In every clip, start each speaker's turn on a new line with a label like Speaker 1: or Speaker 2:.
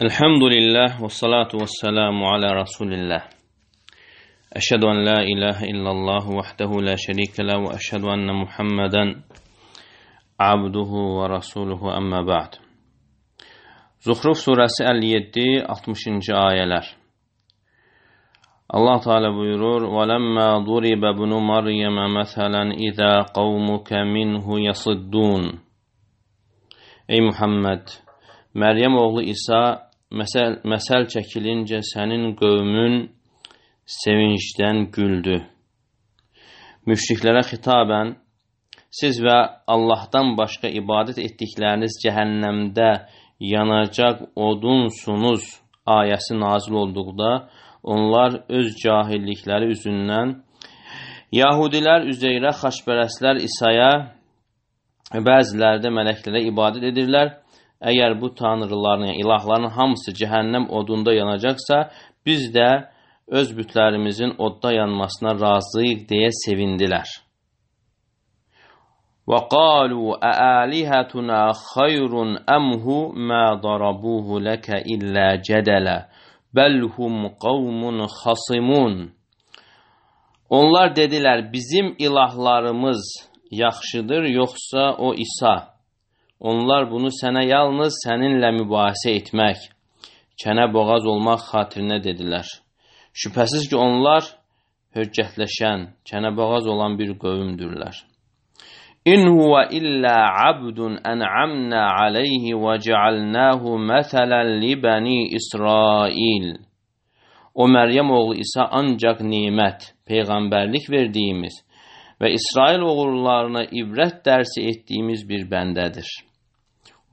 Speaker 1: Elhamdülillah ve salatu ve selamu ala Resulillah. Eşhedü en la ilahe illallah vahdehu la şerike la ve eşhedü enne Muhammeden abduhu ve rasuluhu amma ba'd. Zuhruf suresi 57-60. ayələr. Allah Teala buyurur: وَلَمَّا ضُرِبَ ابْنُ مَرْيَمَ مَثَلًا إِذَا قَوْمُكَ مِنْهُ يَصِدُّونَ. Ey Muhammed, Məryəm oğlu İsa məsəl çəkilincə sənin qövmün sevincdən güldü. Müşriklərə xitabən, siz və Allahdan başqa ibadət etdikləriniz cəhənnəmdə yanacaq odunsunuz ayəsi nazil olduqda, onlar öz cahillikləri üzündən Yahudilər Üzeyrə, xaçpərəstlər İsa'ya, bəziləri də mələklərə ibadət edirlər. Əgər bu tanrıların, yəni ilahların hamısı cəhənnəm odunda yanacaqsa, biz də öz bütlərimizin odda yanmasına razıyıq deyə sevindilər. وَقَالُوا أَآلِهَتُنَا خَيْرٌ أَمْهُ مَا ضَرَبُوهُ لَكَ إِلَّا جَدَلًا بَلْ هُمْ قَوْمٌ خَصِمُونَ. Onlar dedilər, bizim ilahlarımız yaxşıdır, yoxsa o İsa? Onlar bunu sənə yalnız səninlə mübahisə etmək, kənə boğaz olmaq xatirinə dedilər. Şübhəsiz ki, onlar höccətləşən, kənə boğaz olan bir qövmdürlər. İn huwa illa abdun en'amna alayhi ve cealnahu meselen li bani İsrail. O Məryəm oğlu İsa ancaq nimət, peyğəmbərlik verdiyimiz və İsrail oğullarına ibrət dərsi etdiyimiz bir bəndədir.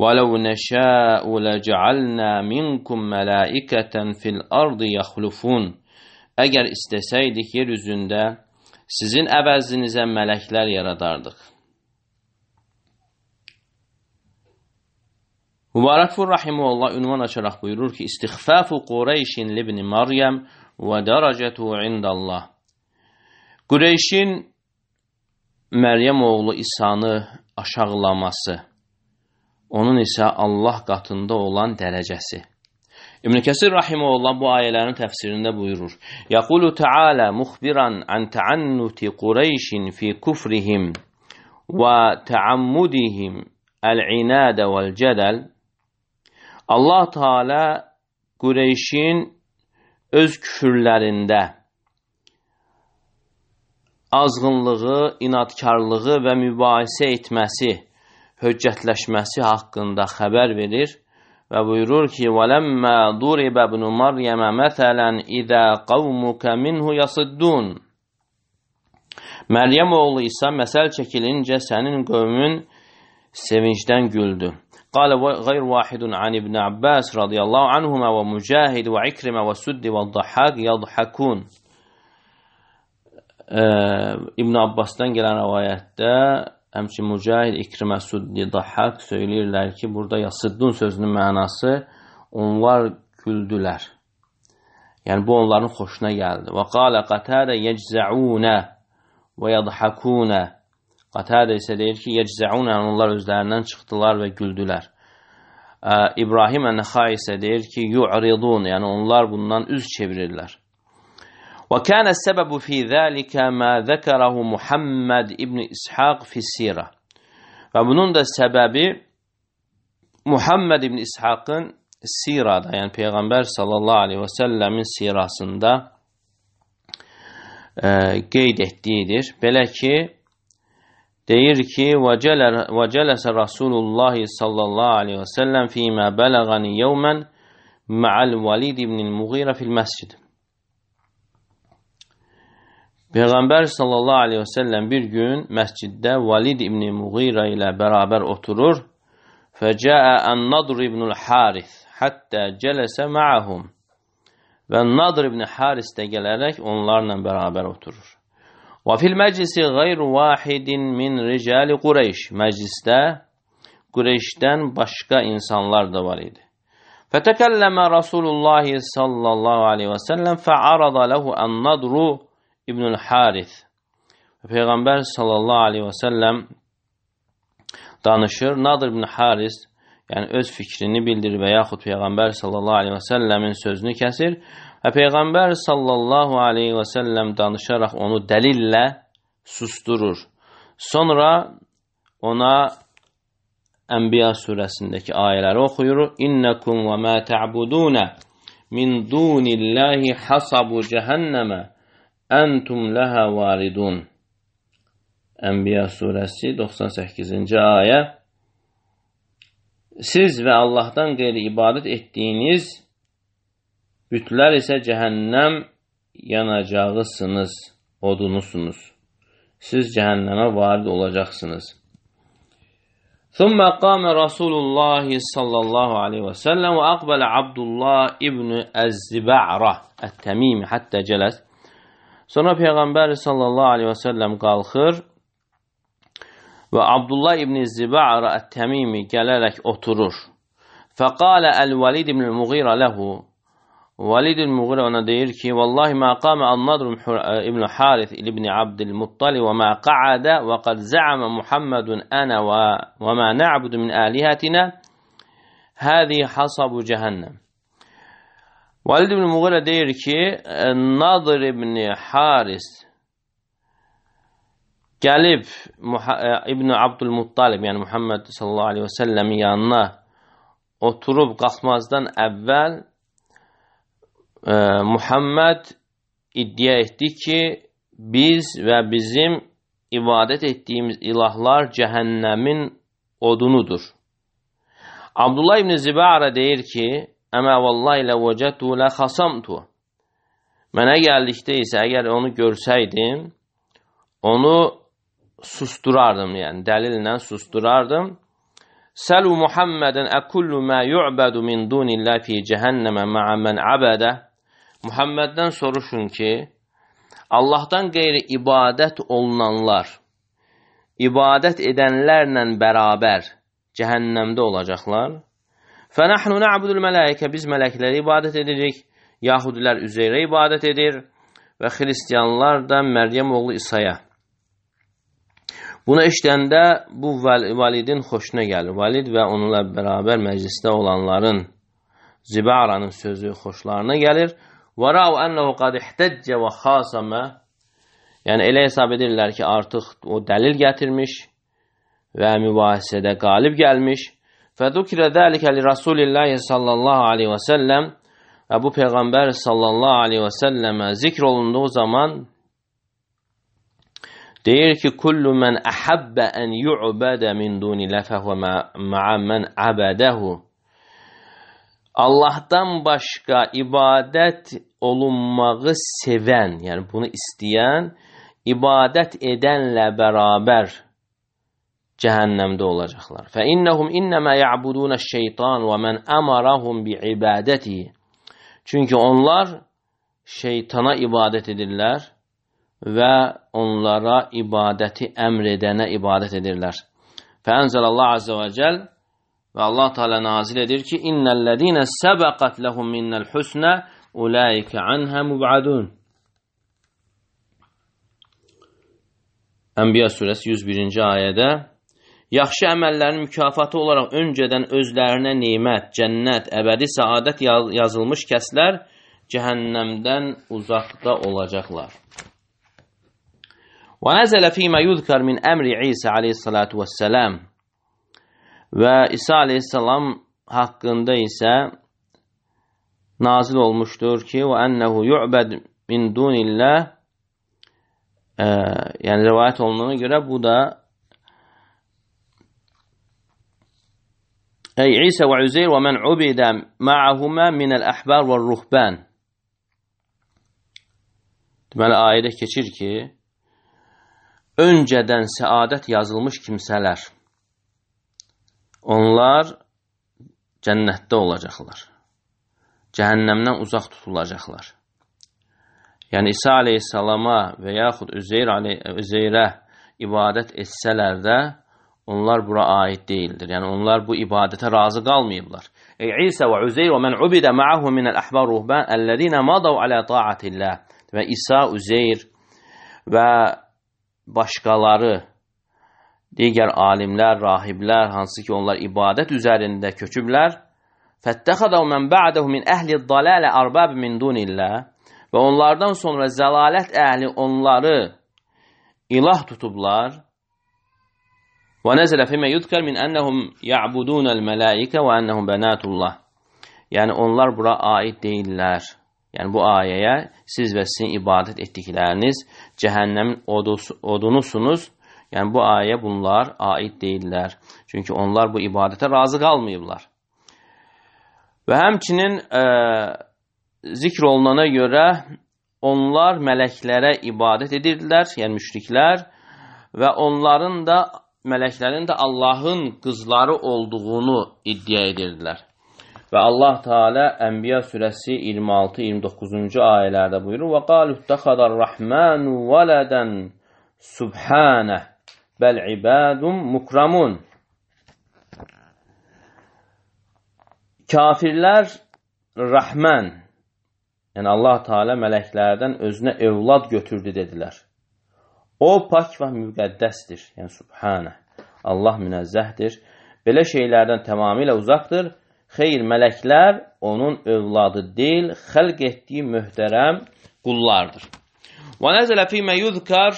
Speaker 1: وَلَوْ نَشَاءُ لَجَعَلْنَا مِنْكُمْ مَلَائِكَةً فِي الْأَرْضِ يَخْلُفُونَ. Əgər istəsəydik, yer üzündə sizin əvəzinizə mələklər yaradardıq. Mübarəkfur Rahimullah ünvan açaraq buyurur ki, İstiğfafu Qureyşin libni Maryəm və dərəcətu indallah. Qureyşin Məryəm oğlu İsa'nı aşağılaması, onun isə Allah qatında olan dərəcəsi. İbn Kəsir Rahimullah bu ayələrin təfsirində buyurur: Yaqulu Teala muxbiran an ta'annuti Qureyşin fi kufrihim və ta'ammudihim el-inadə vəl-cədəl. Allah Teala Qureyşin öz küfürlərində azğınlığı, inadkarlığı və mübahisə etməsi, höccətləşməsi haqqında xəbər verir və buyurur ki, وَلَمَّا ضُرِبَ ابْنُ مَرْيَمَ مَثَلًا إِذَا قَوْمُكَ مِنْهُ يَصِدُّونَ. Məryəm oğlu İsa məsəl çəkilincə sənin qövmün sevincdən güldü. قال غير واحد عن ابن عباس رضي الله عنهما ومجاهد وعكرمة والسد والضحاك يضحكون. İbn Abbasdan gələn rivayətdə həmçinin Mücahid, İkrimə, Suddi, Dahhak söyləyirlər ki, burada yasıddun sözünün mənası onlar güldülər. Yəni bu onların xoşuna gəldi. Və qalə qatədə yeczəunə və yadhakunə. Qatədə isə deyir ki, yeczəunə, onlar özlərindən çıxdılar və güldülər. İbrahim Ən-Nəxai isə deyir ki, yu'ridun, yəni onlar bundan üz çevirirlər. وكان السبب في ذلك ما ذكره محمد ibn İshaq fi sirah. Və bunun da səbəbi Muhammed ibn İshaqın sirada, yəni Peyğəmbər sallallahu aleyhi və səlləmin sirasında qeyd etdiyidir. Belə ki, deyir ki, وَجَلَسَ رَسُولُ اللّٰهِ sallallahu aleyhi və səlləm فِيمَا بَلَغَنِ يَوْمًا مَعَ الْوَلِيدِ ibn الْمُغِيرَ فِي الْمَسْجِدِ. Peyğəmbər sallallahu aleyhi və səlləm bir gün məsciddə Valid ibn Muğira ilə bərabər oturur. Fəcəə ən-Nadr ibn Haris həttə cələsə ma'ahum. Və Nadr ibn Haris də gələrək onlarla bərabər oturur. Və fil məclisi qeyru vahidin min ricali Qureyş. Məclisdə Qureyşdən başqa insanlar da var idi. Fətəkəlləmə Rasulullah sallallahu aleyhi və səlləm fəarada ləhu ən-Nadru İbnül Haris. Peyğəmbər sallallahu aleyhi və səlləm danışır. Nadr ibn Haris yəni öz fikrini bildirir və yaxud Peyğəmbər sallallahu aleyhi və səlləmin sözünü kəsir və Peyğəmbər sallallahu aleyhi və səlləm danışaraq onu dəlillə susturur. Sonra ona Ənbiya surəsindəki ayələri oxuyur. İnnekum və mə tə'budunə min dunillahi hasabu cəhənnəmə əntum ləhə varidun. Ənbiya surəsi 98-ci ayə. Siz və Allahdan qeyri ibadət etdiyiniz bütlər isə cəhənnəm yanacağısınız, odunusunuz. Siz cəhənnəmə varid olacaqsınız. ثم قام رسول الله صلى الله عليه وسلم وأقبل عبد الله ابن الزبعرة التميمي حتى جلس. Sonra Peyğəmbər sallallahu aleyhi və səlləm qalxır və Abdullah ibn Ziba'ra ət-Təmimi gələrək oturur. Fəqalə əl-Valid ibn Muğira ləhu. Valid ibn Muğira ona deyir ki, Vallahi mə qamə An-Nadr ibn Harith ibn Abdülmuttali və mə qa'adə və qad zə'amə Muhammedun ənə və mə nə'budu min əlihətinə həzi hasabu cəhənnəm. Valid ibn Muğira deyir ki, Nadr ibn Haris gəlib İbn Abdülmuttalib, yəni Muhammed sallallahu aleyhi və səlləmin yanına oturub qalxmazdan əvvəl Muhammed iddia etdi ki, biz və bizim ibadət etdiyimiz ilahlar cəhənnəmin odunudur. Abdullah ibn Zibara deyir ki, Əmə vallahi lə vəcətu lə xasamtu. Mənə gəldikdə isə əgər onu görsəydim, onu susturardım, yəni dəlillə susturardım. Səlu Muhammeden əkullu mə yu'bədu min dunillah fi cəhənnəmə mə'ə mən abədə. Muhammeddən soruşun ki, Allahdan qeyri ibadət olunanlar, ibadət edənlərlə bərabər cəhənnəmdə olacaqlar. Fənəhnu nə'budul mələikə, biz mələkləri ibadət edirik, Yahudilər Üzeyrə ibadət edir və xristiyanlar da Məryəm oğlu İsa'ya. Bunu eşidəndə bu Validin xoşuna gəlir. Valid və onunla bərabər məclisdə olanların Zibara'nın sözü xoşlarına gəlir. وَرَاوْ أَنَّهُ قَدْ اِحْتَجَّ وَخَاسَمَ. Yəni elə hesab edirlər ki, artıq o dəlil gətirmiş və mübahisədə qalib gəlmiş. فَذُكِرَ ذَلِكَ لِرَسُولِ اللّٰهِ sallallahu aleyhi və səlləm. Və bu Peyğəmbər sallallahu aleyhi və səlləmə zikr olunduğu zaman deyir ki, kullu mən əhəbbə ən yu'bədə min dunillah fəhvə mə'ə mən əbədəhu. Allahdan başqa ibadət olunmağı sevən, yəni bunu istəyən, ibadət edənlə bərabər cəhənnəmdə olacaqlar. Fə innəhum innəmə ya'budunə şeytan və mən əmarahum bi ibadətihi. Çünki onlar şeytana ibadət edirlər və onlara ibadəti əmr edənə ibadət edirlər. Fəənzəlallah azə və cəl və Allah Teala nazil edir ki, İnnəl-ləzīnə səbəqət ləhum minnəl husnə ulaikə anhə mubadun. Ənbiya surəsi 101-ci ayədə yaxşı əməllərin mükafatı olaraq öncədən özlərinə nemət, cənnət, əbədi səadət yazılmış kəslər cəhənnəmdən uzaqda olacaqlar. Və nəzələ fīmə yudkar min əmri İsa aleyhissalatu vəssələm. Və İsa aleyhissalam haqqında isə nazil olmuşdur ki, və ənəhu yu'bəd min dunillah, yəni rivayət olunduğuna görə bu da İsa və Üzeyr və mən ubidə ma'ahumə minəl-əhbar və ruhbən. Deməli, ayədə keçir ki, öncədən səadət yazılmış kimsələr, onlar cənnətdə olacaqlar. Cəhənnəmdən uzaq tutulacaqlar. Yəni, İsa aleyhissalama və yaxud Üzeyrə ibadət etsələr də, onlar bura aid deyildir. Yəni, onlar bu ibadətə razı qalmayıblar. İsa və Üzeyr və mən ubidə ma'ahu minəl-əhbar ruhbən əlləzinə madav alə ta'atillah. Və İsa, Üzeyr və başqaları digər alimlər, rahiblər, hansı ki onlar ibadət üzərində köçüblər. Fəttəxədəv mən ba'dəhu min əhli dalalə arbab min dunillah. Və onlardan sonra zəlalət əhli onları ilah tutublar. Və nəzələ fimə yudkər min ənəhum ya'budunəl mələikə və ənəhum bənatullah. Yəni onlar bura aid deyirlər. Yəni bu ayəyə siz və sizin ibadət etdikləriniz cəhənnəmin odunusunuz. Yəni bu ayə bunlar aid deyirlər. Çünki onlar bu ibadətə razı qalmayıblar. Və həmçinin zikr olunana görə onlar mələklərə ibadət edirdilər, yəni müşriklər və onların da, mələklərin də Allahın qızları olduğunu iddia edirdilər. Və Allah Teala Ənbiya surəsi 26-29-cu ayələrdə buyurur: "Və qalu ittəxədər Rahmanu vələdən subhanə bəl ibadun mukramun." Kafirlər Rahman, yəni Allah Teala mələklərdən özünə evlad götürdü dedilər. O pak və müqəddəsdir, yəni subhanə. Allah münezzəhdir. Belə şeylərdən tamamilə uzaqdır. Xeyr, mələklər onun övladı deyil, xəlq etdiyi möhtərəm qullardır. Və nəzələ fīmə yuzkar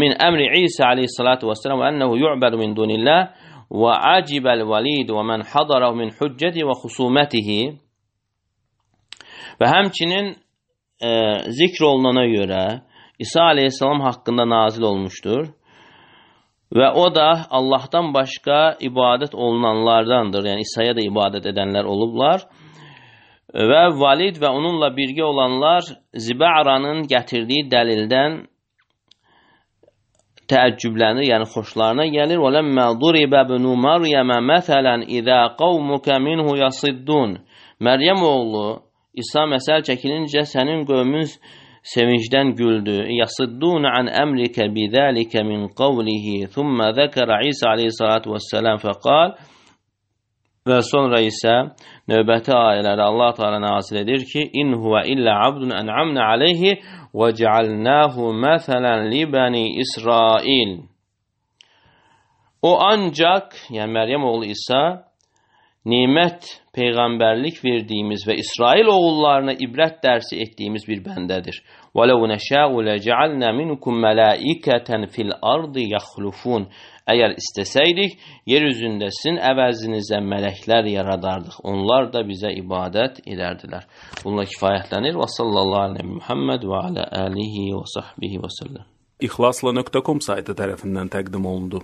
Speaker 1: min əmri İsa aleyhissalatu vesselam və ənəhu yu'bədu min dunillah və acibəl valid və mən hadarahu min hüccəti və xusumətihi. Və həmçinin zikr olunana görə İsa aleyhissalam haqqında nazil olmuşdur. Və o da Allahdan başqa ibadət olunanlardandır. Yəni İsa'ya da ibadət edənlər olublar. Və valid və onunla birgə olanlar Ziba'ranın gətirdiyi dəlildən təəccüblənir, yəni xoşlarına gəlir. وَلَمَّا ضُرِبَ بْنُ مَرْيَمَ مَثَلًا إِذَا قَوْمُكَ مِنْهُ يَصِدُّونَ. Məryəm oğlu İsa məsəl çəkilincə sənin qövmün sevincdən güldü. Yasıddun an emrike bizalika min qawlihi. Thumma zakara İsa aleyhissalatu vesselam faqal. Və sonra isə növbəti ayələrdə Allah Teala nazil edir ki: "İn huve illa abdun en'amna aleyhi ve cealnahu mesalan li bani İsrail." O ancaq, yəni Məryəm oğlu İsa nimət, peyğəmbərlik verdiyimiz və İsrail oğullarına ibrət dərsi etdiyimiz bir bəndədir. وَلَوْ نَشَاءُ لَجَعَلْنَا مِنْكُمْ مَلَائِكَةً فِي الْأَرْضِ يَخْلُفُونَ. Əgər istəsəydik, yer üzündə sizin əvəzinizə mələklər yaradardıq. Onlar da bizə ibadət edərdilər. Bununla kifayətlənir. Və sallallahu aleyhi Muhammed və alə alihi və sahbihi və səlləm.
Speaker 2: İxlasla.com saytı tərəfindən təqdim olundu.